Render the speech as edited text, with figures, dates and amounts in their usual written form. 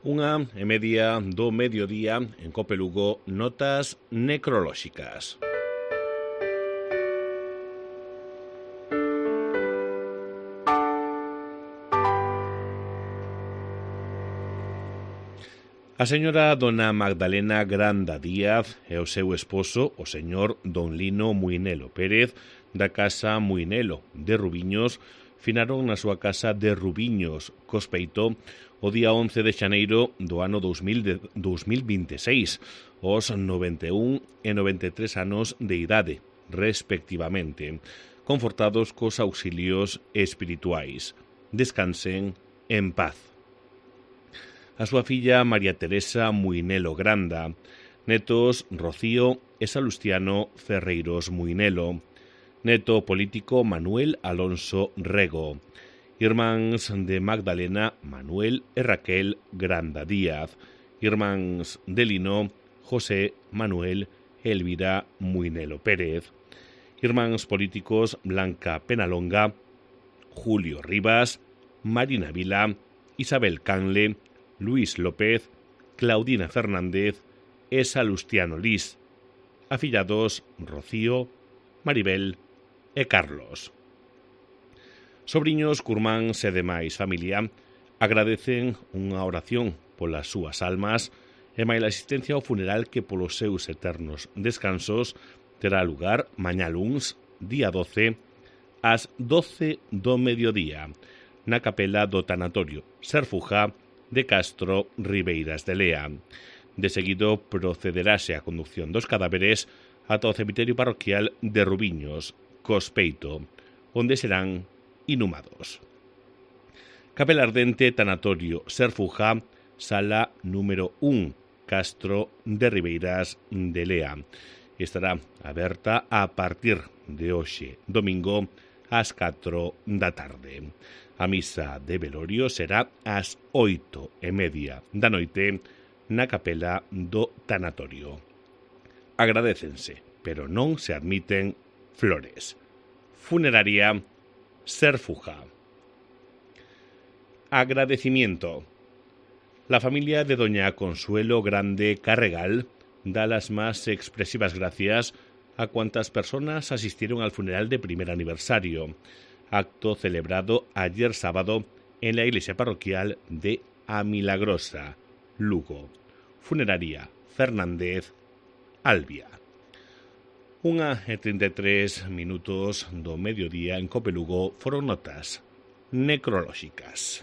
1:30 do mediodía en Cope Lugo, notas necrolóxicas. A señora dona Magdalena Granda Díaz e o seu esposo, o señor don Lino Muinelo Pérez, da casa Muinelo de Rubiños, finaron na súa casa de Rubiños, Cospeito, o día 11 de xaneiro do ano 2026, aos 91 e 93 anos de idade, respectivamente, confortados cos auxilios espirituais. Descansen en paz. A súa filla María Teresa Muinelo Granda, netos Rocío e Salustiano Ferreiros Muinelo, neto político Manuel Alonso Rego, irmáns de Magdalena Manuel e Raquel Granda Díaz, irmáns de Lino José Manuel e Elvira Muinelo Pérez, irmáns políticos Blanca Penalonga, Julio Rivas, Marina Vila, Isabel Canle, Luis López, Claudina Fernández e Salustiano Lis, afillados Rocío, Maribel e Carlos. Sobriños, curmáns e demais familia agradecen unha oración polas súas almas e máis a asistencia ao funeral que polos seus eternos descansos terá lugar mañá luns, día 12, ás 12 do mediodía, na capela do tanatorio Serfuja de Castro Ribeiras de Lea. De seguido procederase a conducción dos cadáveres ata o cemiterio parroquial de Rubiños, Cospeito, onde serán inhumados. Capela ardente tanatorio Serfuja, sala número 1, Castro de Ribeiras de Lea. Estará aberta a partir de hoxe, domingo, ás 4 da tarde. A misa de velorio será ás 8:30 da noite na capela do tanatorio. Agradécense, pero non se admiten flores. Funeraria Serfuja. Agradecimiento. La familia de doña Consuelo Grande Carregal da las más expresivas gracias a cuantas personas asistieron al funeral de primer aniversario, acto celebrado ayer sábado en la iglesia parroquial de Amilagrosa, Lugo. Funeraria Fernández, Albia. 1:33 do mediodía en Cope Lugo foron notas necrolóxicas.